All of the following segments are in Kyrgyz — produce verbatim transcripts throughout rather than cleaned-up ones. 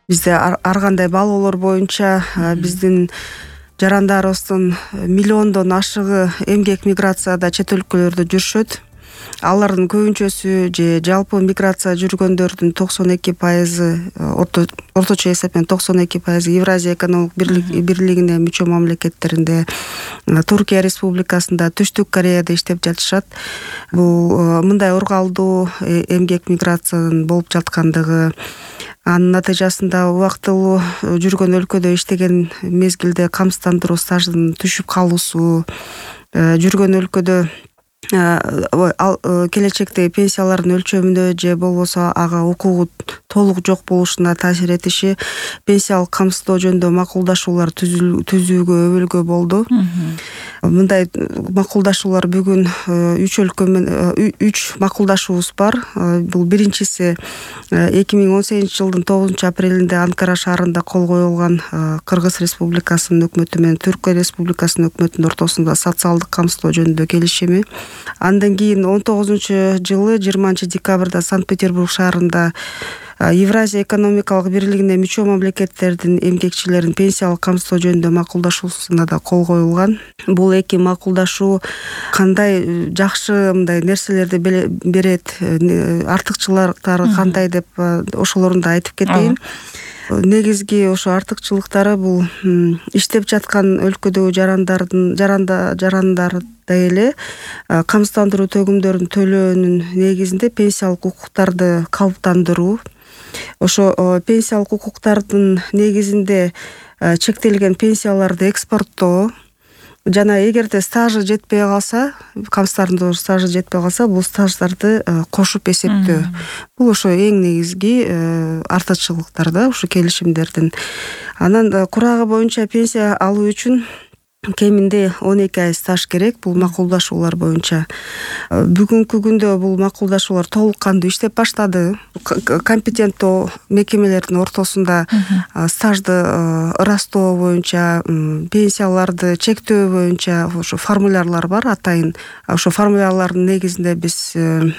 бизде ар кандай балоолор боюнча биздин жарандарыбыздын миллиондон ашыгы эмгек миграцияда чет өлкөлөрдө жүрүшөт. Алардын көбүнчөсү же жалпы миграция жүргөндөрдүн токсон эки пайызы орточо эсеп менен токсон эки пайызы Евразия экономикалык бирлигине мүчө мамлекеттеринде, Туркия Республикасында, Түштүк Кореяда иштеп жатышат. Бул мындай ургалдуу эмгек миграциянын болуп жаткандыгы, анын натыйжасында убактылуу жүргөн өлкөдө иштеген мезгилде камсыздандыруу стажынын түшүп калуусу, жүргөн өлкөдө келечектеги пенсиялардын өлчөмүнө же болбосо ага укугу толук жок болушуна таасир этиши, пенсиялык камсыздоо жөнүндө макулдашуулар түзүүгө өбөлгө болду. Мындай макулдашуулар бүгүн үч өлкө менен үч макулдашуубуз бар. Бул биринчиси эки миң он сегизинчи жылдын тогузунчу апрелинде Анкара шаарында кол коюлган Кыргыз Республикасынын өкмөтү менен Түркия Республикасынын өкмөтүнүн ортосунда социалдык камсыздоо жөнүндө келишими. Андан кийин он тогузунчу жылы жыйырманчы декабрда Санкт-Петербург шаарында Евразия экономикалык бирлигине мүчө мамлекеттердин эмгекчилерин пенсиялык камсыздоо жөнүндө макулдашуусуна да кол коюлган. Бул эки макулдашуу кандай жакшы мындай нерселерди берет, артыкчылыктары кандай деп ошолорун да айтып кетейин. Негизги ошо артыкчылыктары бул иштеп жаткан өлкөдөгү жарандардын жаранда жарандар эле камсыздандыруу төгүмдөрүн төлөөнүн негизинде пенсиялык укуктарды калыптандыруу. Ошо пенсиялык укуктардын негизинде чектелген пенсияларды экспорттоо жана эгерде стажы жетпей калса, камсыздандыруу стажы жетпей калса, бул стаждарды кошуп эсептөө. Бул ошо эң негизги артыкчылыктар да ушу келишимдердин. Анан курагы боюнча пенсия алуу үчүн кеминде он эки ай стаж керек бул макулдашуулар боюнча. Бүгүнкү күндө бул макулдашуулар толук кандуу иштеп баштады. Компетенттүү мекемелердин ортосунда стажды ырастоо боюнча, пенсияларды чектөө боюнча ошо формулярлар бар атайын. Ошо формулярлардын негизинде биз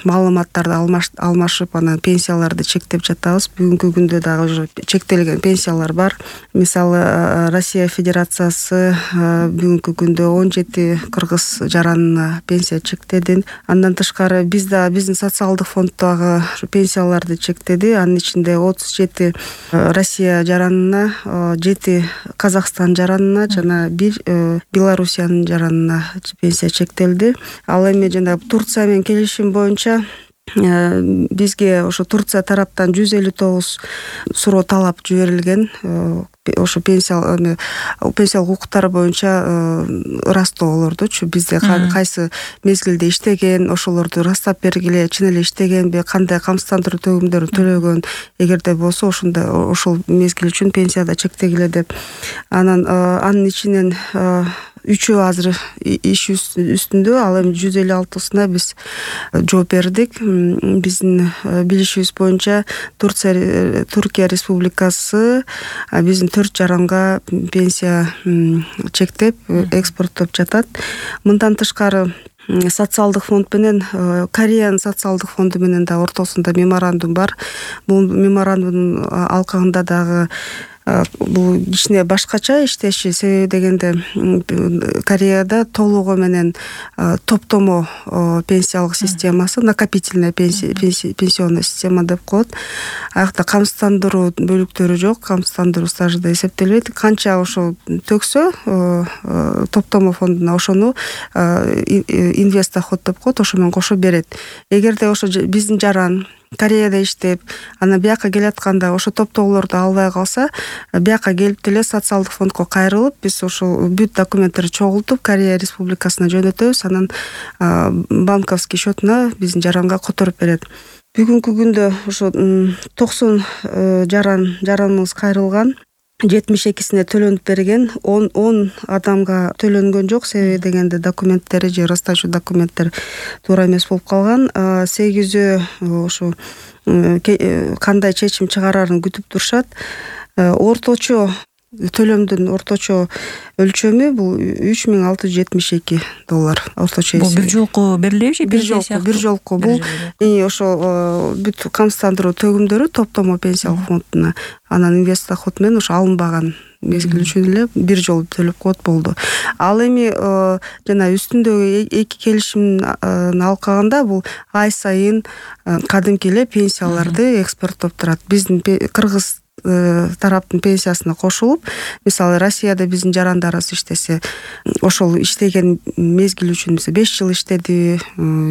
маалыматтарды алмашып, анан пенсияларды чектеп жатабыз. Бүгүнкү күндө дагы уже чектелген пенсиялар бар. Мисалы, Россия Федерациясы бүгүнкү күндө он жети кыргыз жаранына пенсия чектеди. Андан тышкары биз да биздин социалдык фонд дагы пенсияларды чектеди. Анын ичинде отуз жети Россия жаранына, жети Казакстан жаранына жана бир Белоруссиянын жаранына пенсия чектелди. Ал эми жана Турция менен келишим боюнча бизге ошо Турция тараптан жүз элүү тогуз суроо талап жиберилген. Ошо пенсиялык пенсиялык укуктар боюнча ырастоолордучу бизде кайсы мезгилде иштеген, ошолорду ырастап бергиле, чын эле иштегенби, кандай камсыздандыруу төгүмдөрүн төлөгөн, эгерде болсо ошондо ошол мезгил үчүн пенсияда чектегиле деп. Анан анын ичинен үчөө азыр иш үстүндө, ал эми жүз элүү алтысына биз жооп бердик. Биздин билишибиз боюнча Турция Түркия Республикасы биздин төрт жаранга пенсия чектеп экспорттоп жатат. Мындан тышкары социалдык фонд менен Кореянын социалдык фонду менен да ортосунда меморандум бар. Бул меморандумдун алкагында дагы бул кичине башкача иштеши, себеби дегенде Кореяда толугу менен топтомо пенсиялык системасы, накопительная пенсионная система деп коет. Аякта камсыздандыруу бөлүктөрү жок, камсыздандыруу стажы да эсептелбейт. Канча ошо төксө топтомо фондуна ошону инвестдоход деп коет, ошо менен кошо берет. Эгерде ошо биздин жаран Кореяда иштеп, анан бияка келатканда ошо топтоолорду албай калса, бияка келип деле социалдык фондко кайрылып, биз ошо бүт документтерди чогултуп Корея Республикасына жөнөтөбүз, анан банковский счетуна биздин жаранга которуп берет. Бүгүнкү күндө ошо токсон жаран жараныбыз кайрылган. жетимиш экисине төлөнүп берген, он адамга төлөнгөн жок, себеби дегенде документтери же ырастачу документтер туура эмес болуп калган. сегизөө ошо кандай чечим чыгарарын күтүп турушат. Орточо төлөмдүн орточо өлчөмү бул үч миң алты жүз жетимиш эки доллар орточо. Бул бир жолку берилеби же бир жолку бир жолку бул ошо бүт камсыздандыруу төгүмдөрү топтомо пенсиялык фондуна анан инвест доход менен ошо алынбаган мезгил үчүн эле бир жолу төлөп коет болду. Ал эми жана үстүндөгү эки келишимин алып калганда бул ай сайын кадимки эле пенсияларды экспорттоп турат. Биздин кыргыз тараптын пенсиясына кошулуп, мисалы Россияда биздин жарандарыбыз иштесе, ошол иштеген мезгил үчүн беш жыл иштеди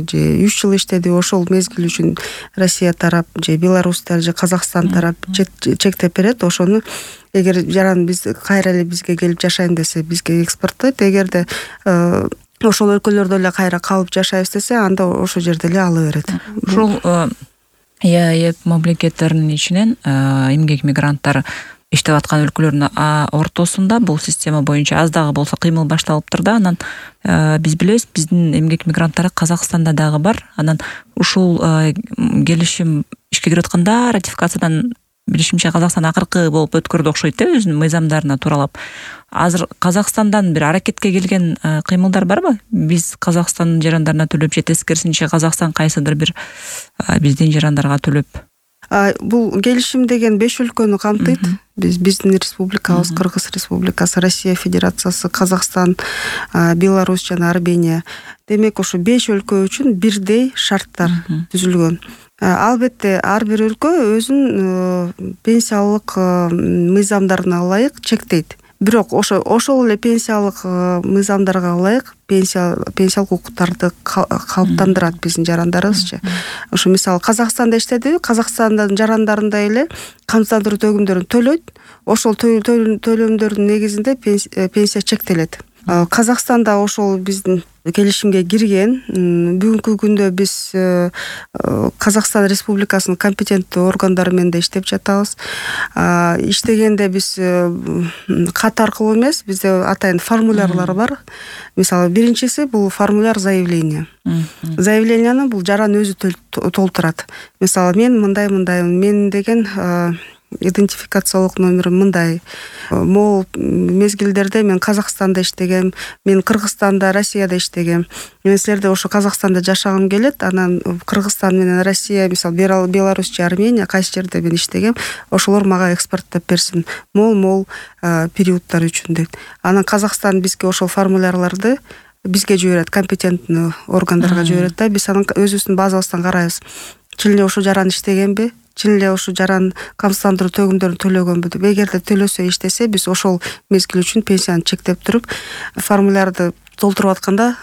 же үч жыл иштеди, ошол мезгил үчүн Россия тарап же Беларустар же Казакстан тарап чектеп берет. Ошону эгер жаран биз кайра эле бизге келип жашайм десе, бизге экспорттойт. Эгерде ошол өлкөлөрдө эле кайра калып жашайбыз десе, анда ошол жерде эле ала берет. Ушул ЕАЭП мамлекеттеринин ичинен эмгек мигранттар иштеп аткан өлкөлөрдүн ортосунда бул система боюнча аз дагы болсо кыймыл башталыптыр да. Анан биз билебиз, биздин эмгек мигранттары Казакстанда дагы бар. Анан ушул келишим ишке кирип атканда ратификациядан билишимче Казакстан акыркы болуп өткөрдү окшойт да, өзүнүн мыйзамдарына тууралап. Азыр Казакстандан бир аракетке келген кыймылдар барбы? Биз Казакстандын жарандарына төлөп же тескерисинче Казакстан кайсыдыр бир биздин жарандарга төлөп? Бул келишим деген беш өлкөнү камтыйт. Биз биздин республикабыз, Кыргыз Республикасы, Россия Федерациясы, Казакстан, Беларусь жана Армения. Демек, ошо беш өлкө үчүн бирдей шарттар түзүлгөн. Албетте ар бир өлкө өзүнүн пенсиялык мыйзамдарына ылайык чектейт. Бирок ошо ошол эле пенсиялык мыйзамдарга ылайык пенсия пенсиялык укуктарды калыптандырат биздин жарандарыбызчы. Ошо мисалы Казакстанда иштедиби, Казакстандын жарандарындай эле камсыздандыруу төгүмдөрүн төлөйт. Ошол төлөмдөрдүн негизинде пенсия чектелет. Казакстанда ошол биздин келишимге кирген. Бүгүнкү күндө биз Казакстан Республикасынын компетенттүү органдары менен да иштеп жатабыз. Иштегенде биз кат аркылуу эмес, бизде атайын формулярлар бар. Мисалы, биринчиси бул формуляр заявления. Заявленияны бул жаран өзү толтурат. Мисалы, мен мындай мындаймын, мен деген идентификациялык номерим мындай. Могул мезгилдерде мен Казакстанда иштегем, мен Кыргызстанда, Россияда иштегем. Мен силерде ошо Казакстанда жашагым келет, анан Кыргызстан менен Россия, мисалы Беларусь же Армения кайсы жерде мен иштегем, ошолор мага экспорттоп берсин мол-мол периодтар үчүн дейт. Анан Казакстан бизге ошол формулярларды бизге жиберет, компетенттүү органдарга жиберет да, биз анын өзүбүздүн базабыздан карайбыз. Чын эле ошо жаран иштегенби? Чын эле ошо жаран камсыздандыруу төгүмдөрүн төлөгөнбү деп. Эгерде төлөсө, иштесе, биз ошол мезгил үчүн пенсияны чектеп туруп, формулярды толтуруп атканда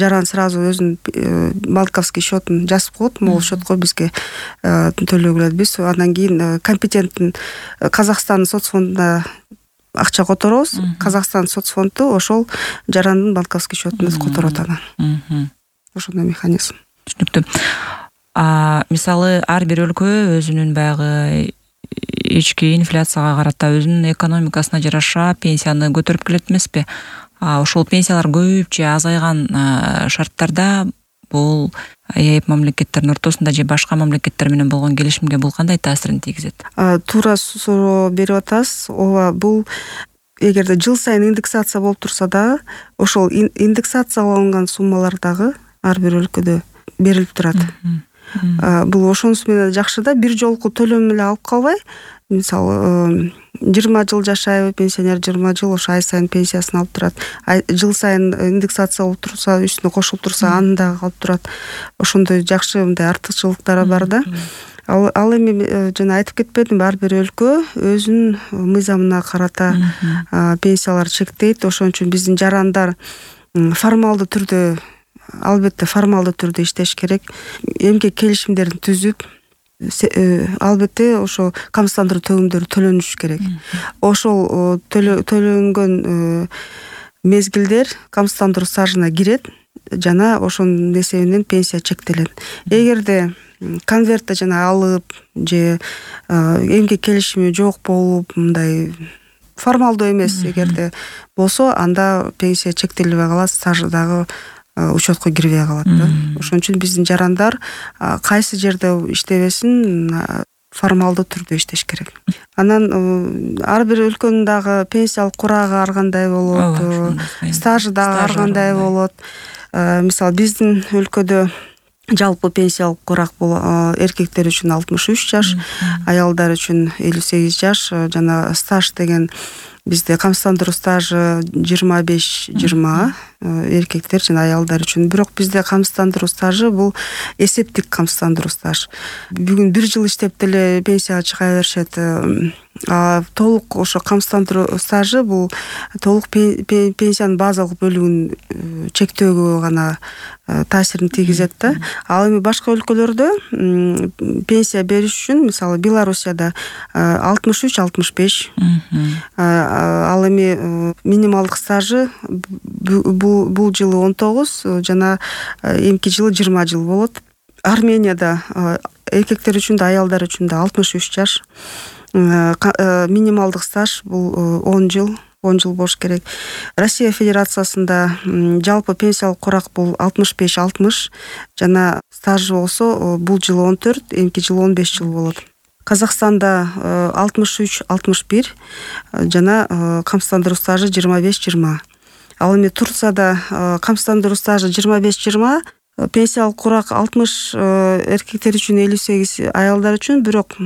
жаран сразу өзүнүн банковский счетун жазып коет, могул счетко бизге төлөгүлөт. Биз андан кийин компетенттүү Казакстандын соцфондуна акча которобуз. Казакстан соцфонду ошол жарандын банковский счетуна которот анан. Ошондой механизм. Түшүнүктүү. А мисалы ар бир өлкө өзүнүн баягы ички инфляцияга карата өзүнүн экономикасына жараша пенсияны көтөрүп келет эмеспи? А ошол пенсиялар көбүп же азайган шарттарда бул ЕАЭП мамлекеттеринин ортосунда же башка мамлекеттер менен болгон келишимге бул кандай таасирин тийгизет? Туура суроо берип атасыз. Ооба, бул эгерде жыл сайын индексация болуп турса дагы, ошол индексацияланган суммалар дагы ар бир өлкөдө берилип турат. Бул ошонусу менен жакшы да, бир жолку төлөм эле алып калбай, мисалы жыйырма жыл жашайбы пенсионер, жыйырма жыл ошо ай сайын пенсиясын алып турат. Жыл сайын индексация болуп турса, үстүнө кошулуп турса, аны дагы алып турат. Ошондой жакшы мындай артыкчылыктары бар да. Ал, ал эми жана айтып кетпедимби, ар бир өлкө өзүнүн мыйзамына карата пенсиялар чектейт. Ошон үчүн биздин жарандар формалдуу түрдө, албетте формалдуу түрдө иштеш керек. Эмгек келишимдерин түзүп, албетте ошо камсыздандыруу төгүмдөрү төлөнүш керек. Ошол төлөнгөн мезгилдер камсыздандыруу стажына кирет жана ошонун эсебинен пенсия чектелет. Эгерде конвертте жана алып же эмгек келишими жок болуп, мындай формалдуу эмес эгерде болсо, анда пенсия чектелбей калат, стажы дагы учетко кирбей калат да. Ошон үчүн биздин жарандар кайсы жерде иштебесин формалдуу түрдө иштеш керек. Анан ар бир өлкөнүн дагы пенсиялык курагы ар кандай болот, стажы дагы ар кандай болот. Мисалы биздин өлкөдө жалпы пенсиялык курак бул эркектер үчүн алтымыш үч жаш, аялдар үчүн элүү сегиз жаш. Жана стаж деген бизде камсыздандыруу стажы жыйырма беш жыйырма эркектер жана аялдар үчүн. Бирок бизде камсыздандыруу стажы бул эсептик камсыздандыруу стаж. Бүгүн бир жыл иштеп деле пенсияга чыга беришет. А толук ошо камсыздандыруу стажы бул толук пенсиянын базалык бөлүгүн чектөөгө гана таасирин тийгизет да. Ал эми башка өлкөлөрдө пенсия бериш үчүн, мисалы Белоруссияда алтымыш үч алтымыш беш. Ал эми минималдык стажы бул жылы он тогуз, жана эмки жылы жыйырма жыл болот. Арменияда эркектер үчүн да, аялдар үчүн да алтымыш үч жаш. Минималдык стаж бул он жыл, он жыл болуш керек. Россия Федерациясында жалпы пенсиялык курак бул алтымыш беш алтымыш, жана стажы болсо бул жылы он төрт, эмки жылы он беш жыл болот. Казакстанда алтымыш үч алтымыш бир, жана камсыздандыруу стажы жыйырма беш жыйырма. Ал эми Турцияда камсыздандыруу стажы жыйырма беш жыйырма, пенсиялык курак алтымыш эркектер үчүн, элүү сегиз аялдар үчүн, бирок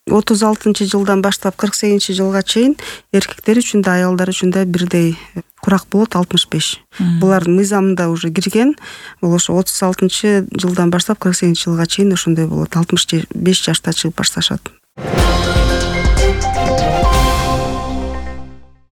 отуз алтынчы жылдан баштап кырк сегизинчи жылга чейин эркектер үчүн да, аялдар үчүн да бирдей курак болот, алтымыш беш. Булардын мыйзамында уже кирген. Бул ошо отуз алтынчы жылдан баштап кырк сегизинчи жылга чейин ошондой болот. алтымыш беш жашта чыгып башташат.